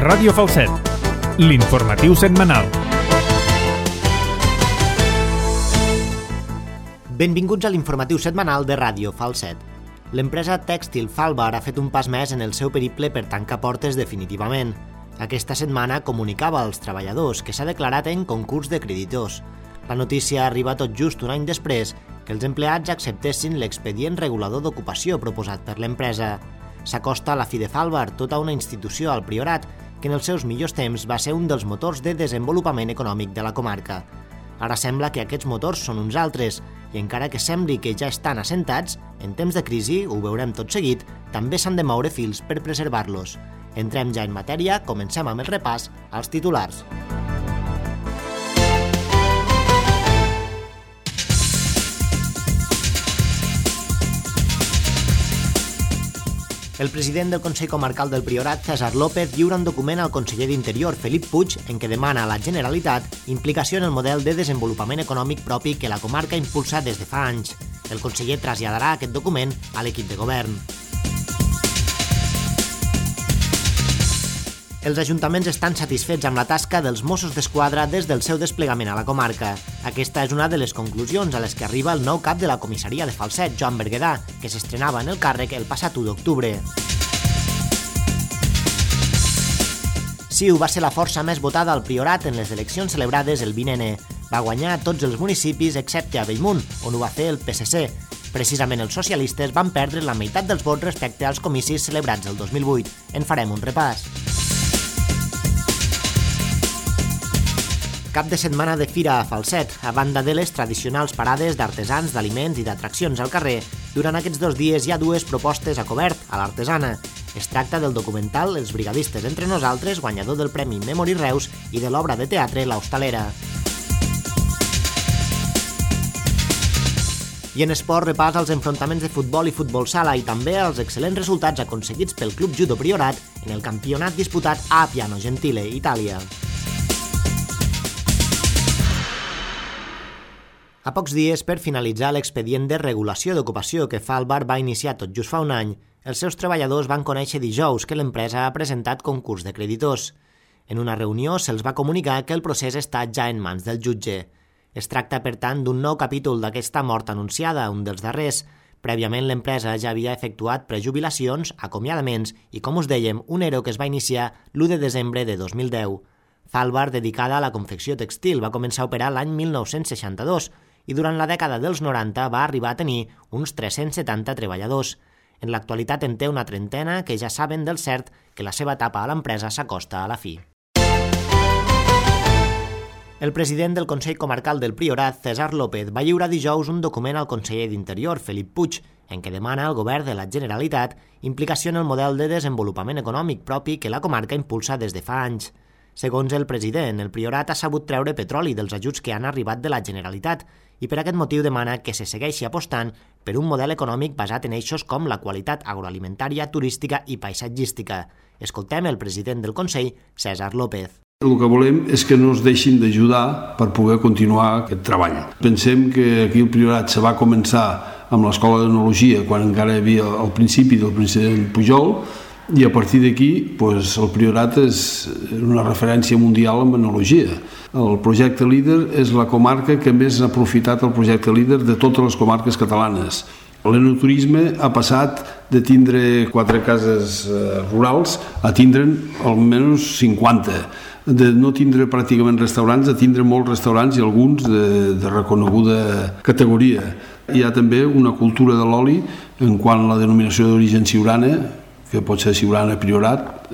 Ràdio Falset, l'informatiu setmanal. Benvinguts a l'informatiu setmanal de Ràdio Falset. L'empresa tèxtil Falbar ha fet un pas més en el seu periple per tancar portes definitivament. Aquesta setmana comunicava als treballadors que s'ha declarat en concurs de creditors. La notícia arriba tot just un any després que els empleats acceptessin l'expedient regulador d'ocupació proposat per l'empresa. S'acosta la fi de Falbar, tota una institució al Priorat, que en els seus millors temps va ser un dels motors de desenvolupament econòmic de la comarca. Ara sembla que aquests motors són uns altres, i encara que sembli que ja estan assentats, en temps de crisi, ho veurem tot seguit, també s'han de moure fils per preservar-los. Entrem ja en matèria, comencem amb el repàs als titulars. El president del Consell Comarcal del Priorat, César López, lliura un document al conseller d'Interior, Felip Puig, en què demana a la Generalitat implicació en el model de desenvolupament econòmic propi que la comarca impulsa des de fa anys. El conseller traslladarà aquest document a l'equip de govern. Els ajuntaments estan satisfets amb la tasca dels Mossos d'Esquadra des del seu desplegament a la comarca. Aquesta és una de les conclusions a les que arriba el nou cap de la comissaria de Falset, Joan Berguedà, que s'estrenava en el càrrec el passat 1 d'octubre. CiU va ser la força més votada al Priorat en les eleccions celebrades el 20N. Va guanyar a tots els municipis excepte a Bellmunt, on ho va fer el PSC. Precisament els socialistes van perdre la meitat dels vots respecte als comicis celebrats el 2008. En farem un repàs. Cap de setmana de fira a Falset, a banda de les tradicionals parades d'artesans, d'aliments i d'atraccions al carrer. Durant aquests 2 dies hi ha 2 propostes a cobert a l'Artesana. Es tracta del documental Els brigadistes entre nosaltres, guanyador del Premi Memory Reus, i de l'obra de teatre L'Hostalera. I en esport repàs als enfrontaments de futbol i futbol sala i també als excel·lents resultats aconseguits pel Club Judo Priorat en el campionat disputat a Piano Gentile, Itàlia. A pocs dies per finalitzar l'expedient de regulació d'ocupació que Falbar va iniciar tot just fa un any, els seus treballadors van conèixer dijous que l'empresa ha presentat concurs de creditors. En una reunió se'ls va comunicar que el procés està ja en mans del jutge. Es tracta, per tant, d'un nou capítol d'aquesta mort anunciada, un dels darrers. Prèviament l'empresa ja havia efectuat prejubilacions, acomiadaments i, com us dèiem, un ERO que es va iniciar l'1 de desembre de 2010. Falbar, dedicada a la confecció textil, va començar a operar l'any 1962, i durant la dècada dels 90 va arribar a tenir uns 370 treballadors. En l'actualitat en té una trentena que ja saben del cert que la seva etapa a l'empresa s'acosta a la fi. El president del Consell Comarcal del Priorat, César López, va lliurar dijous un document al conseller d'Interior, Felip Puig, en què demana al govern de la Generalitat implicació en el model de desenvolupament econòmic propi que la comarca impulsa des de fa anys. Segons el president, el Priorat ha sabut treure petroli dels ajuts que han arribat de la Generalitat i per aquest motiu demana que se segueixi apostant per un model econòmic basat en eixos com la qualitat agroalimentària, turística i paisatgística. Escoltem el president del Consell, César López. El que volem és que no ens deixin d'ajudar per poder continuar aquest treball. Pensem que aquí el Priorat se va començar amb l'Escola d'Enologia quan encara hi havia el principi del president Pujol, i a partir d'aquí el Priorat és una referència mundial en enologia. El projecte líder és la comarca que més ha aprofitat el projecte líder de totes les comarques catalanes. L'enoturisme ha passat de tindre 4 cases rurals a tindre'n almenys 50, de no tindre pràcticament restaurants a tindre molts restaurants i alguns de reconeguda categoria. Hi ha també una cultura de l'oli en quant a la denominació d'origen siurana, que pot ser Siurana Priorat,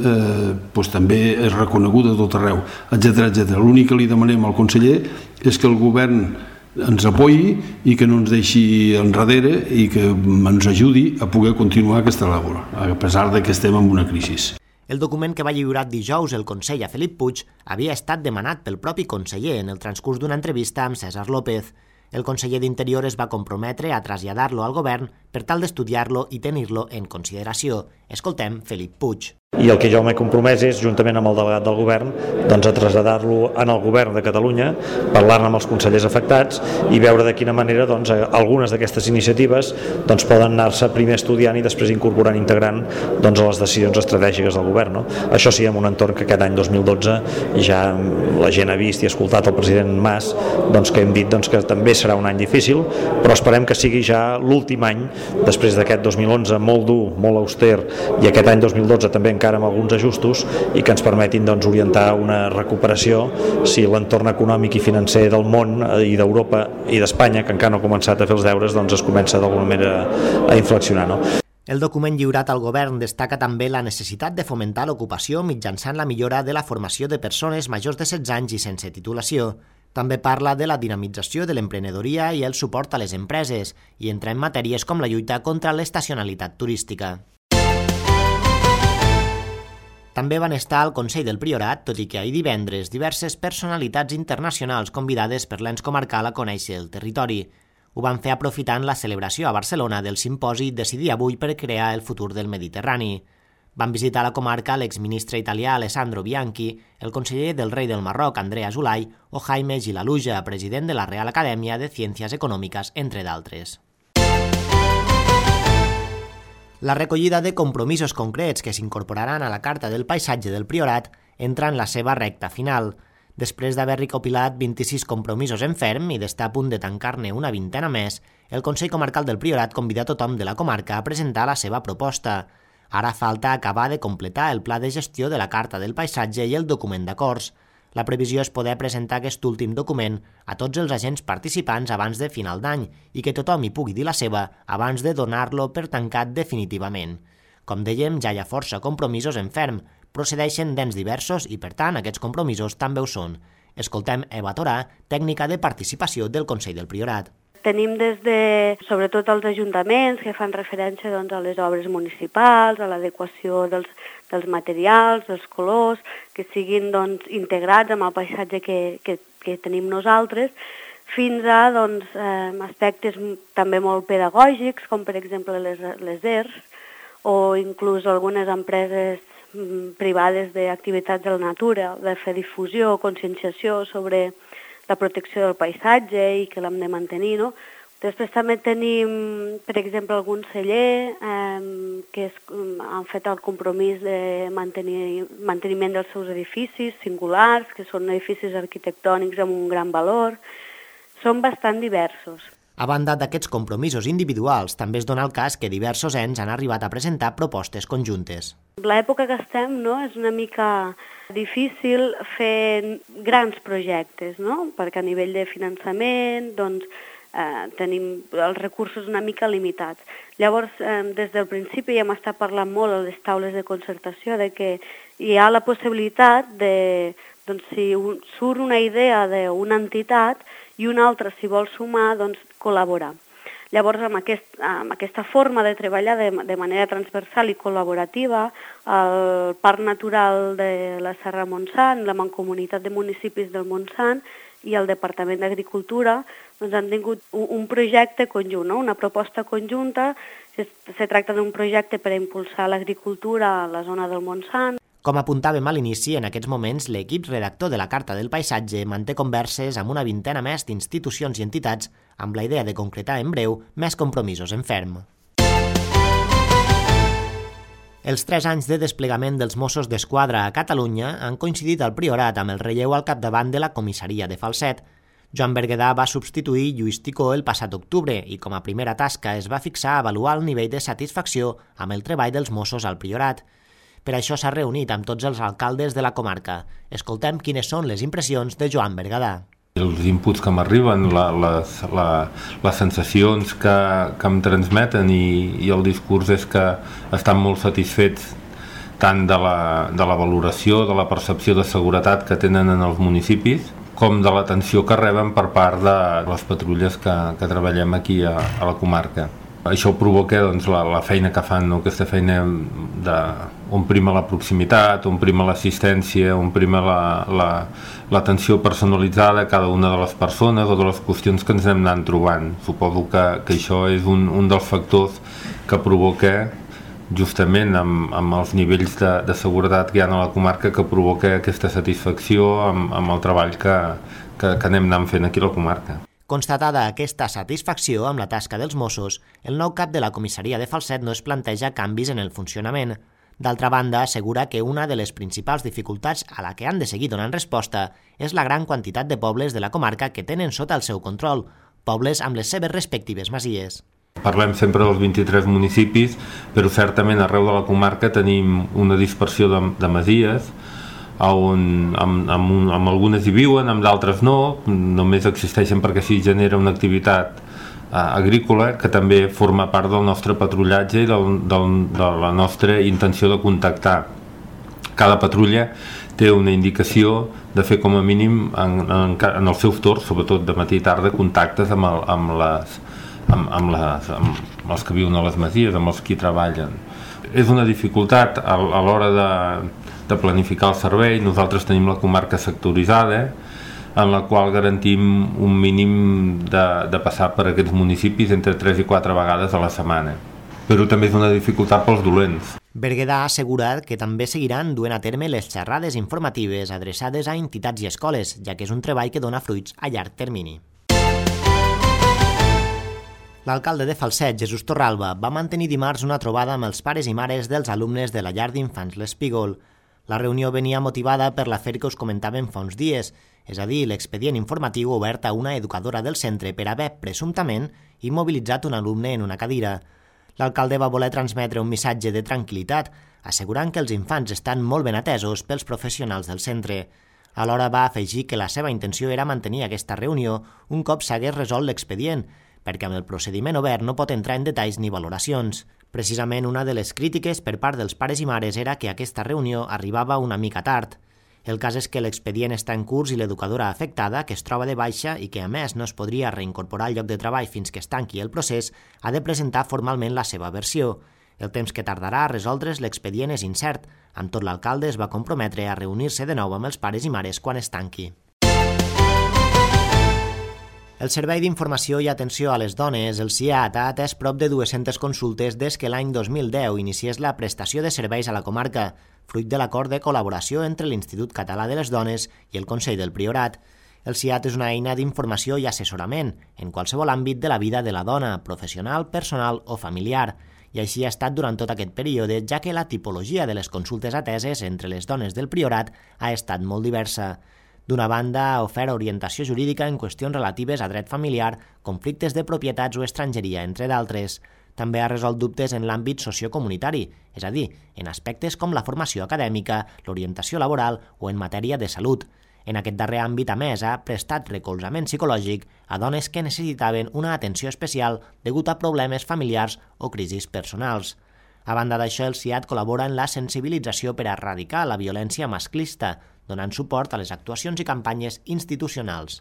també és reconeguda a tot arreu, etc. L'únic que li demanem al conseller és que el govern ens apoyi i que no ens deixi enrere i que ens ajudi a poder continuar aquesta labor, a pesar de que estem en una crisi. El document que va lliurar dijous el Consell a Felip Puig havia estat demanat pel propi conseller en el transcurs d'una entrevista amb César López. El conseller d'Interior es va comprometre a traslladar-lo al govern per tal d'estudiar-lo i tenir-lo en consideració. Escoltem Felip Puig. I el que jo m'he compromès és, juntament amb el delegat del govern, doncs a traslladar-lo en el govern de Catalunya, parlar-ne amb els consellers afectats i veure de quina manera doncs, algunes d'aquestes iniciatives doncs, poden anar-se primer estudiant i després incorporant, integrant doncs, a les decisions estratègiques del govern. No? Això sí, en un entorn que aquest any 2012 ja la gent ha vist i escoltat el president Mas, doncs, que hem dit doncs, que també serà un any difícil, però esperem que sigui ja l'últim any, després d'aquest 2011 molt dur, molt auster, i aquest any 2012 també encara amb alguns ajustos i que ens permetin doncs, orientar una recuperació si l'entorn econòmic i financer del món i d'Europa i d'Espanya, que encara no ha començat a fer els deures, doncs es comença d'alguna manera a inflexionar. No? El document lliurat al govern destaca també la necessitat de fomentar l'ocupació mitjançant la millora de la formació de persones majors de 16 anys i sense titulació. També parla de la dinamització de l'emprenedoria i el suport a les empreses i entra en matèries com la lluita contra l'estacionalitat turística. També van estar al Consell del Priorat, tot i que ahir divendres diverses personalitats internacionals convidades per l'ens comarcal a conèixer el territori. Ho van fer aprofitant la celebració a Barcelona del simposi Decidir avui per crear el futur del Mediterrani. Van visitar la comarca l'exministre italià Alessandro Bianchi, el conseller del rei del Marroc Andrea Zulay o Jaime Gilaluja, president de la Real Acadèmia de Ciències Econòmiques, entre d'altres. La recollida de compromisos concrets que s'incorporaran a la Carta del Paisatge del Priorat entra en la seva recta final. Després d'haver recopilat 26 compromisos en ferm i d'estar a punt de tancar-ne una vintena més, el Consell Comarcal del Priorat convida a tothom de la comarca a presentar la seva proposta. Ara falta acabar de completar el pla de gestió de la Carta del Paisatge i el document d'acords. La previsió és poder presentar aquest últim document a tots els agents participants abans de final d'any i que tothom hi pugui dir la seva abans de donar-lo per tancat definitivament. Com dèiem, ja hi ha força compromisos en ferm, procedeixen d'ens diversos i, per tant, aquests compromisos també ho són. Escoltem Eva Torà, tècnica de participació del Consell del Priorat. Tenim des de, sobretot els ajuntaments, que fan referència doncs, a les obres municipals, a l'adequació dels materials, dels colors, que siguin doncs, integrats amb el paisatge que tenim nosaltres, fins a doncs, aspectes també molt pedagògics, com per exemple les ERS, o inclús algunes empreses privades d'activitats de la natura, de fer difusió o conscienciació sobre la protecció del paisatge i que l'hem de mantenir, no? Després també tenim, per exemple, algun celler que han fet el compromís de manteniment dels seus edificis singulars, que són edificis arquitectònics amb un gran valor. Són bastant diversos. A banda d'aquests compromisos individuals, també es dona el cas que diversos ens han arribat a presentar propostes conjuntes. L'època que estem, no?, és una mica difícil fer grans projectes, no?, perquè a nivell de finançament doncs, tenim els recursos una mica limitats. Llavors, des del principi ja hem estat parlant molt a les taules de concertació de que hi ha la possibilitat de, doncs, si surt una idea d'una entitat i una altra s'hi vol sumar, doncs col·laborar. Llavors, amb aquesta forma de treballar de manera transversal i col·laborativa, el Parc Natural de la Serra Montsant, la Mancomunitat de Municipis del Montsant i el Departament d'Agricultura doncs han tingut un projecte conjunt, no? Una proposta conjunta. Se tracta d'un projecte per impulsar l'agricultura a la zona del Montsant. Com apuntàvem a l'inici, en aquests moments l'equip redactor de la Carta del Paisatge manté converses amb una vintena més d'institucions i entitats amb la idea de concretar en breu més compromisos en ferm. Els 3 anys de desplegament dels Mossos d'Esquadra a Catalunya han coincidit al Priorat amb el relleu al capdavant de la comissaria de Falset. Joan Berguedà va substituir Lluís Ticó el passat octubre i com a primera tasca es va fixar a avaluar el nivell de satisfacció amb el treball dels Mossos al Priorat. Per això s'ha reunit amb tots els alcaldes de la comarca. Escoltem quines són les impressions de Joan Berguedà. Els inputs que m'arriben, les sensacions que em transmeten i el discurs és que estan molt satisfets tant de la valoració, de la percepció de seguretat que tenen en els municipis, com de l'atenció que reben per part de les patrulles que treballem aquí a la comarca. Això provoca doncs, la feina que fan, no? Aquesta feina on prima la proximitat, on prima l'assistència, on prima l'atenció personalitzada a cada una de les persones o de les qüestions que ens anem anant trobant. Suposo que això és un dels factors que provoca justament amb els nivells de seguretat que hi ha a la comarca que provoca aquesta satisfacció amb el treball que anem anant fent aquí a la comarca. Constatada aquesta satisfacció amb la tasca dels Mossos, el nou cap de la comissaria de Falset no es planteja canvis en el funcionament. D'altra banda, assegura que una de les principals dificultats a la que han de seguir donant resposta és la gran quantitat de pobles de la comarca que tenen sota el seu control, pobles amb les seves respectives masies. Parlem sempre dels 23 municipis, però certament arreu de la comarca tenim una dispersió de masies, on amb algunes hi viuen, amb d'altres no, només existeixen perquè s'hi genera una activitat agrícola que també forma part del nostre patrullatge i de la nostra intenció de contactar. Cada patrulla té una indicació de fer com a mínim en els seus torns, sobretot de matí i tarda, contactes amb els que viuen a les masies, amb els que hi treballen. És una dificultat a l'hora de planificar el servei. Nosaltres tenim la comarca sectoritzada, en la qual garantim un mínim de passar per aquests municipis entre 3 i 4 vegades a la setmana. Però també és una dificultat pels dolents. Berguedà ha assegurat que també seguiran duent a terme les xerrades informatives adreçades a entitats i escoles, ja que és un treball que dona fruits a llarg termini. L'alcalde de Falset, Jesús Torralba, va mantenir dimarts una trobada amb els pares i mares dels alumnes de la llar d'infants l'Espígol. La reunió venia motivada per l'afer que us comentàvem fa uns dies, és a dir, l'expedient informatiu obert a una educadora del centre per haver, presumptament, immobilitzat un alumne en una cadira. L'alcalde va voler transmetre un missatge de tranquil·litat, assegurant que els infants estan molt ben atesos pels professionals del centre. Alhora va afegir que la seva intenció era mantenir aquesta reunió un cop s'hagués resolt l'expedient, perquè amb el procediment obert no pot entrar en detalls ni valoracions. Precisament una de les crítiques per part dels pares i mares era que aquesta reunió arribava una mica tard. El cas és que l'expedient està en curs i l'educadora afectada, que es troba de baixa i que a més no es podria reincorporar al lloc de treball fins que es tanqui el procés, ha de presentar formalment la seva versió. El temps que tardarà a resoldre's l'expedient és incert. Amb tot, l'alcalde es va comprometre a reunir-se de nou amb els pares i mares quan es tanqui. El Servei d'Informació i Atenció a les Dones, el SIAT, ha atès prop de 200 consultes des que l'any 2010 iniciés la prestació de serveis a la comarca, fruit de l'acord de col·laboració entre l'Institut Català de les Dones i el Consell del Priorat. El SIAT és una eina d'informació i assessorament en qualsevol àmbit de la vida de la dona, professional, personal o familiar, i així ha estat durant tot aquest període, ja que la tipologia de les consultes ateses entre les dones del Priorat ha estat molt diversa. D'una banda, ha ofert orientació jurídica en qüestions relatives a dret familiar, conflictes de propietats o estrangeria, entre d'altres. També ha resolt dubtes en l'àmbit sociocomunitari, és a dir, en aspectes com la formació acadèmica, l'orientació laboral o en matèria de salut. En aquest darrer àmbit, a més, ha prestat recolzament psicològic a dones que necessitaven una atenció especial degut a problemes familiars o crisis personals. A banda d'això, el SIAT col·labora en la sensibilització per a erradicar la violència masclista, donant suport a les actuacions i campanyes institucionals.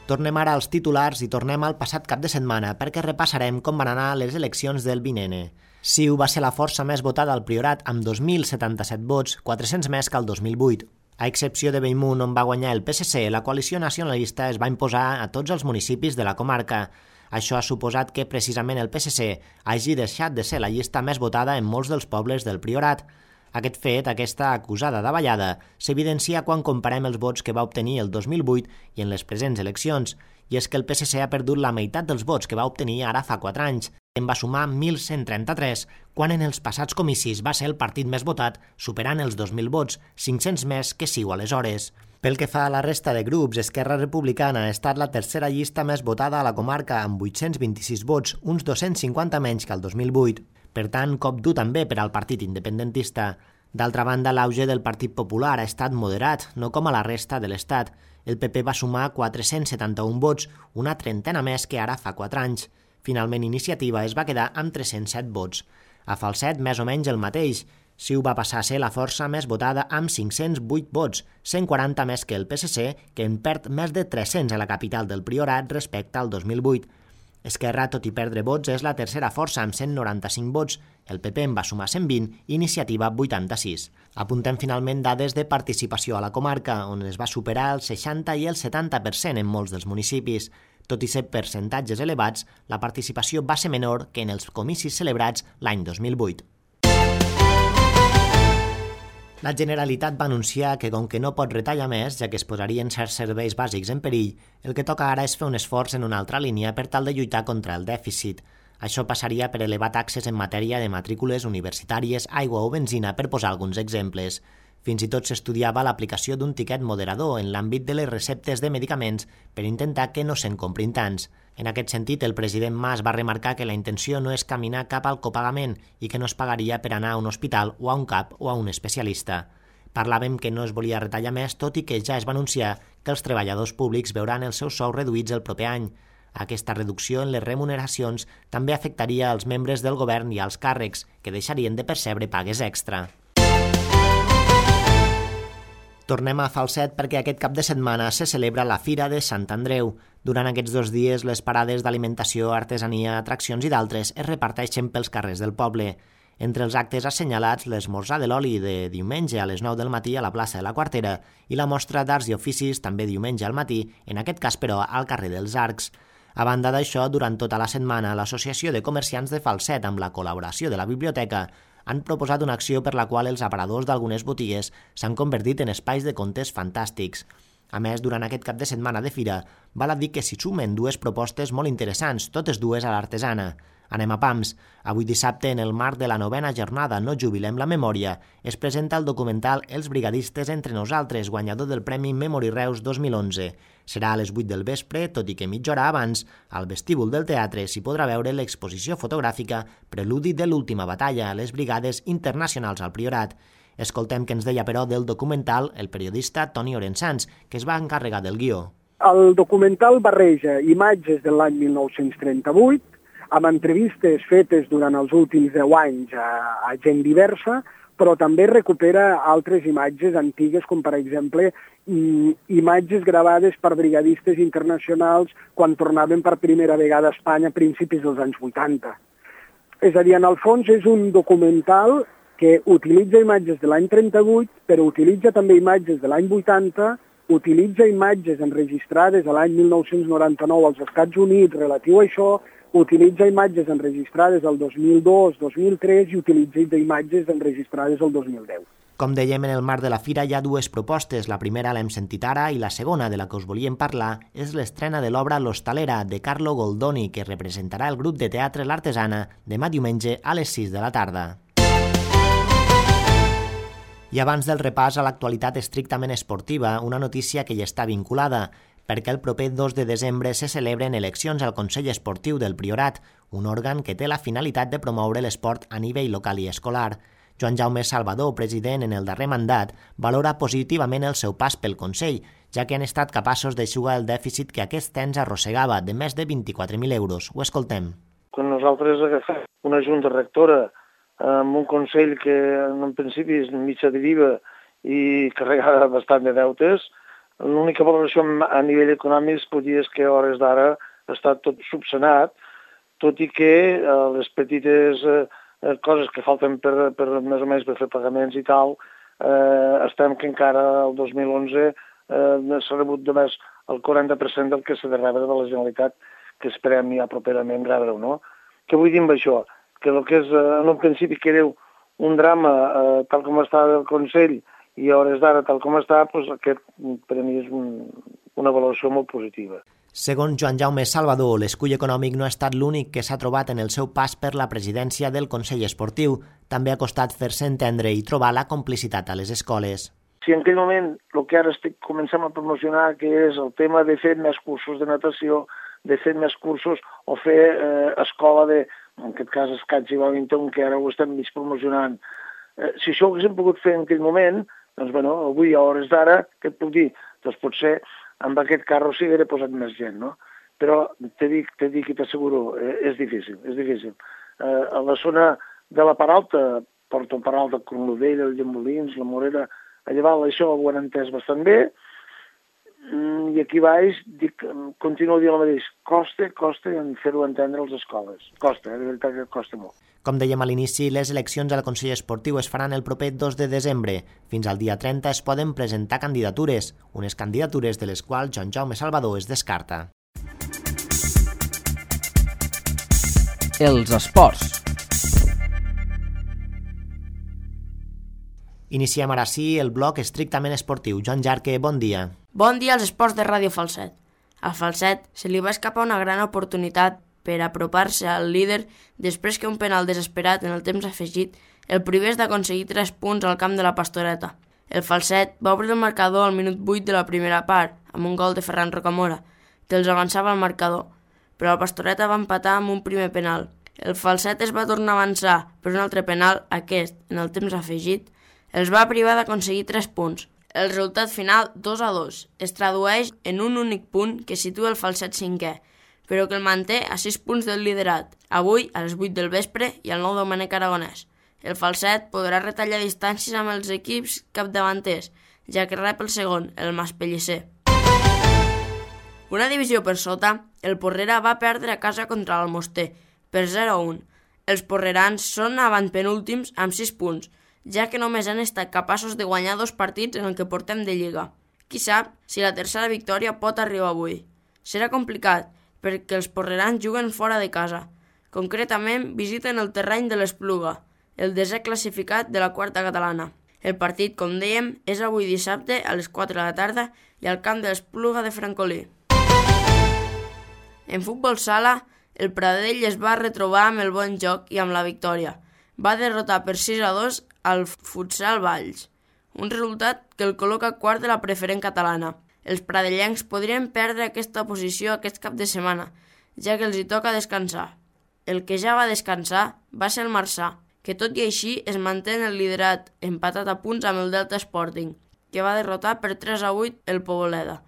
Tornem ara als titulars i tornem al passat cap de setmana perquè repassarem com van anar les eleccions del 20N. CiU va ser la força més votada al Priorat amb 2.077 vots, 400 més que el 2008. A excepció de Bellmunt, on va guanyar el PSC, la coalició nacionalista es va imposar a tots els municipis de la comarca. Això ha suposat que precisament el PSC hagi deixat de ser la llista més votada en molts dels pobles del Priorat. Aquest fet, aquesta acusada davallada, s'evidencia quan comparem els vots que va obtenir el 2008 i en les presents eleccions, i és que el PSC ha perdut la meitat dels vots que va obtenir ara fa 4 anys. En va sumar 1.133, quan en els passats comicis va ser el partit més votat, superant els 2.000 vots, 500 més que CiU aleshores. Pel que fa a la resta de grups, Esquerra Republicana ha estat la tercera llista més votada a la comarca amb 826 vots, uns 250 menys que el 2008. Per tant, cop dur també per al partit independentista. D'altra banda, l'auge del Partit Popular ha estat moderat, no com a la resta de l'Estat. El PP va sumar 471 vots, una trentena més que ara fa 4 anys. Finalment, Iniciativa es va quedar amb 307 vots. A Falset, més o menys el mateix. CiU va passar a ser la força més votada amb 508 vots, 140 més que el PSC, que en perd més de 300 a la capital del Priorat respecte al 2008. Esquerra, tot i perdre vots, és la tercera força amb 195 vots. El PP en va sumar 120 i Iniciativa 86. Apuntem finalment dades de participació a la comarca, on es va superar el 60 i el 70% en molts dels municipis. Tot i ser percentatges elevats, la participació va ser menor que en els comicis celebrats l'any 2008. La Generalitat va anunciar que, com que no pot retallar més, ja que es posarien certs serveis bàsics en perill, el que toca ara és fer un esforç en una altra línia per tal de lluitar contra el dèficit. Això passaria per elevar taxes en matèria de matrícules universitàries, aigua o benzina, per posar alguns exemples. Fins i tot s'estudiava l'aplicació d'un tiquet moderador en l'àmbit de les receptes de medicaments per intentar que no se'n comprin tants. En aquest sentit, el president Mas va remarcar que la intenció no és caminar cap al copagament i que no es pagaria per anar a un hospital o a un CAP o a un especialista. Parlàvem que no es volia retallar més, tot i que ja es va anunciar que els treballadors públics veuran els seus sous reduïts el proper any. Aquesta reducció en les remuneracions també afectaria als membres del govern i als càrrecs, que deixarien de percebre pagues extra. Tornem a Falset perquè aquest cap de setmana se celebra la Fira de Sant Andreu. Durant aquests 2 dies, les parades d'alimentació, artesania, atraccions i d'altres es reparteixen pels carrers del poble. Entre els actes assenyalats, l'esmorzar de l'oli de diumenge a les 9 del matí a la plaça de la Quartera i la mostra d'arts i oficis també diumenge al matí, en aquest cas però al carrer dels Arcs. A banda d'això, durant tota la setmana, l'Associació de Comerciants de Falset, amb la col·laboració de la biblioteca, han proposat una acció per la qual els aparadors d'algunes botigues s'han convertit en espais de contes fantàstics. A més, durant aquest cap de setmana de fira, val a dir que s'hi sumen 2 propostes molt interessants, totes dues a l'artesana. Anem a pams. Avui dissabte, en el marc de la 9ª jornada No jubilem la memòria, es presenta el documental Els brigadistes entre nosaltres, guanyador del Premi Memory Reus 2011. Serà a les 8 del vespre, tot i que mitja hora abans, al vestíbul del teatre s'hi podrà veure l'exposició fotogràfica Preludi de l'última batalla, les brigades internacionals al Priorat. Escoltem què ens deia, però, del documental el periodista Toni Orensans, que es va encarregar del guió. El documental barreja imatges de l'any 1938 amb entrevistes fetes durant els últims 10 anys a gent diversa, però també recupera altres imatges antigues, com per exemple imatges gravades per brigadistes internacionals quan tornaven per primera vegada a Espanya a principis dels anys 80. És a dir, en el fons és un documental que utilitza imatges de l'any 38, però utilitza també imatges de l'any 80, utilitza imatges enregistrades a l'any 1999 als Estats Units relatiu a això, utilitza imatges enregistrades al 2002, 2003 i utilitza imatges enregistrades al 2010. Com dèiem, en el marc de la fira hi ha 2 propostes. La primera l'hem sentit ara i la segona, de la que us volíem parlar, és l'estrena de l'obra L'Hostalera, de Carlo Goldoni, que representarà el grup de teatre L'Artesana demà diumenge a les 6 de la tarda. I abans del repàs a l'actualitat estrictament esportiva, una notícia que hi està vinculada, perquè el proper 2 de desembre se celebren eleccions al Consell Esportiu del Priorat, un òrgan que té la finalitat de promoure l'esport a nivell local i escolar. Joan Jaume Salvador, president en el darrer mandat, valora positivament el seu pas pel Consell, ja que han estat capaços d'eixugar el dèficit que aquest temps arrossegava de més de 24.000 euros. Ho escoltem. Quan nosaltres agafem una junta rectora amb un Consell que en principi és mitja deriva i carregada bastant de deutes, l'única valoració a nivell econòmic es pot dir que a hores d'ara està tot subsanat, tot i que les petites coses que falten per més o menys per fer pagaments i tal, estem que encara el 2011 s'ha rebut només el 40% del que s'ha de rebre de la Generalitat, que esperem ja properament rebre-ho, no? Què vull dir amb això? Que el que és en un principi que era un drama tal com està el Consell i a hores d'ara tal com està, doncs aquest per a mi és una valoració molt positiva. Segons Joan Jaume Salvador, l'escull econòmic no ha estat l'únic que s'ha trobat en el seu pas per la presidència del Consell Esportiu. També ha costat fer-se entendre i trobar la complicitat a les escoles. Si en aquell moment el que ara comencem a promocionar, que és el tema de fer més cursos de natació, de fer més cursos o fer escola de, en aquest cas, escaig i badminton, que ara ho estem mig promocionant. Si això ho haguéssim pogut fer en aquell moment, doncs, bueno, avui a hores d'ara, què et puc dir? Doncs potser amb aquest carro s'hi hauria posat més gent, no? Però t'he dit i t'asseguro, és difícil, és difícil. A la zona de la Peralta, Porto Peralta, Cornudella, el Llemolins, la Morera, a Llevant, això ho han entès bastant bé, i aquí baix continuo dient el mateix, costa en fer-ho entendre a les escoles. Costa, de veritat que costa molt. Com dèiem a l'inici, les eleccions al Consell Esportiu es faran el proper 2 de desembre. Fins al dia 30 es poden presentar candidatures, unes candidatures de les quals Joan Jaume Salvador es descarta. els esports. Iniciem ara sí el bloc estrictament esportiu. Joan Jarque, bon dia. Bon dia als esports de Ràdio Falset. Al Falset se li va escapar una gran oportunitat per apropar-se al líder després que un penal desesperat en el temps afegit el privés d'aconseguir 3 punts al camp de la Pastoreta. El Falset va obrir el marcador al minut 8 de la primera part amb un gol de Ferran Rocamora, que els avançava al marcador, però la Pastoreta va empatar amb un primer penal. El Falset es va tornar a avançar, però un altre penal, aquest, en el temps afegit, els va privar d'aconseguir 3 punts. El resultat final, 2-2, es tradueix en un únic punt que situa el Falset 5è, però que el manté a 6 punts del liderat, avui a les 8 del vespre i al nou Domènec Aragonès. El Falset podrà retallar distàncies amb els equips capdavanters, ja que rep el segon, el Maspellisser. Una divisió per sota, el Porrera va perdre a casa contra l'Almoster, per 0-1. Els porrerans són avantpenúltims amb 6 punts, ja que només han estat capaços de guanyar 2 partits en el que portem de Lliga. Qui sap si la tercera victòria pot arribar avui. Serà complicat, perquè els porrerans juguen fora de casa. Concretament, visiten el terreny de l'Espluga, el 10è classificat de la quarta catalana. El partit, com dèiem, és avui dissabte a les 4 de la tarda i al camp de l'Espluga de Francolí. En futbol sala, el Pradell es va retrobar amb el bon joc i amb la victòria. Va derrotar per 6-2 al Futsal Valls, un resultat que el col·loca quart de la preferent catalana. Els pradellencs podrien perdre aquesta posició aquest cap de setmana, ja que els hi toca descansar. El que ja va descansar va ser el Marçà, que tot i així es manté en el liderat, empatat a punts amb el Delta Sporting, que va derrotar per 3-8 el Poboleda.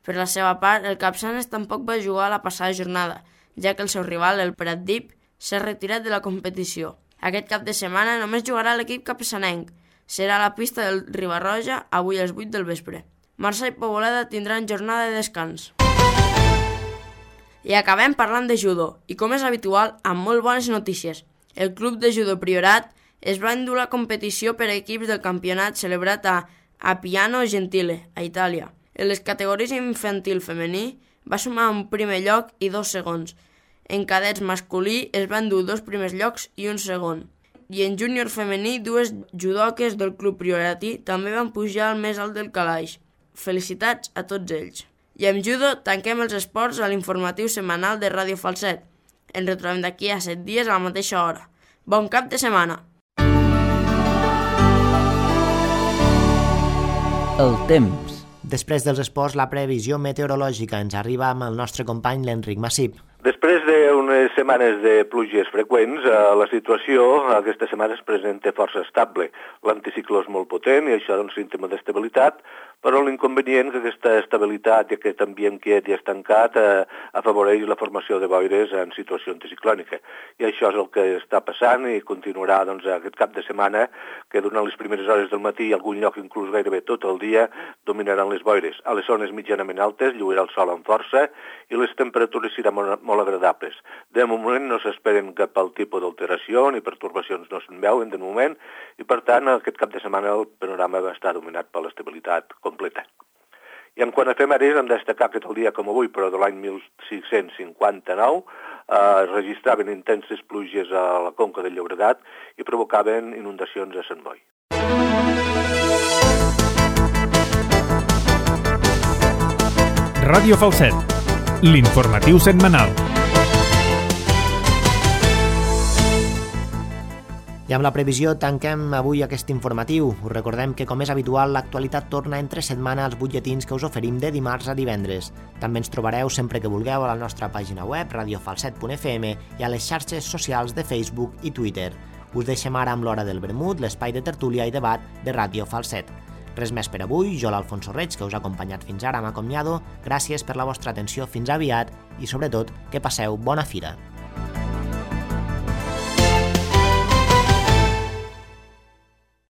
Per la seva part, el Capçanes tampoc va jugar la passada jornada, ja que el seu rival, el Pratdip, s'ha retirat de la competició. Aquest cap de setmana només jugarà l'equip capçanenc. Serà a la pista del Ribarroja avui a les 8 del vespre. Marçà i Poboleda tindran jornada de descans. I acabem parlant de judo, i com és habitual, amb molt bones notícies. El Club de Judo Priorat es va endur la competició per equips del campionat celebrat a Appiano Gentile, a Itàlia. En les categories infantil femení va sumar un primer lloc i 2 segons. En cadets masculí es van dur 2 primers llocs i un segon. I en júnior femení, 2 judoques del Club Prioratí també van pujar al més alt del calaix. Felicitats a tots ells. I amb judo tanquem els esports a l'informatiu setmanal de Ràdio Falset. Ens retrobem d'aquí a 7 dies a la mateixa hora. Bon cap de setmana! El temps. Després dels esports, la previsió meteorològica ens arriba amb el nostre company l'Enric Massip. Després d'unes setmanes de pluges freqüents, la situació aquesta setmana es presenta força estable. L'anticicló és molt potent i això dona un símptoma d'estabilitat, però l'inconvenient que aquesta estabilitat i aquest ambient quiet i estancat afavoreix la formació de boires en situació anticiclònica. I això és el que està passant i continuarà aquest cap de setmana, que durant les primeres hores del matí i algun lloc inclús gairebé tot el dia dominaran les boires. A les zones mitjanament altes lluirà el sol amb força i les temperatures seran molt agradables. De moment no s'esperen cap tipus d'alteració ni pertorbacions no se'n veuen de moment i per tant aquest cap de setmana el panorama va estar dominat per l'estabilitat completa. I en quant a efemèrides hem de destacar que el dia com avui, però de l'any 1659, es registraven intenses pluges a la conca del Llobregat i provocaven inundacions a Sant Boi. Ràdio Falset, l'informatiu setmanal. I amb la previsió tanquem avui aquest informatiu. Us recordem que, com és habitual, l'actualitat torna entre setmana als butlletins que us oferim de dimarts a divendres. També ens trobareu sempre que vulgueu a la nostra pàgina web, radiofalset.fm, i a les xarxes socials de Facebook i Twitter. Us deixem ara amb l'Hora del Vermut, l'espai de tertúlia i debat de Ràdio Falset. Res més per avui. Jo, l'Alfonso Reig, que us ha acompanyat fins ara, m'acomiado. Gràcies per la vostra atenció. Fins aviat i, sobretot, que passeu bona fira.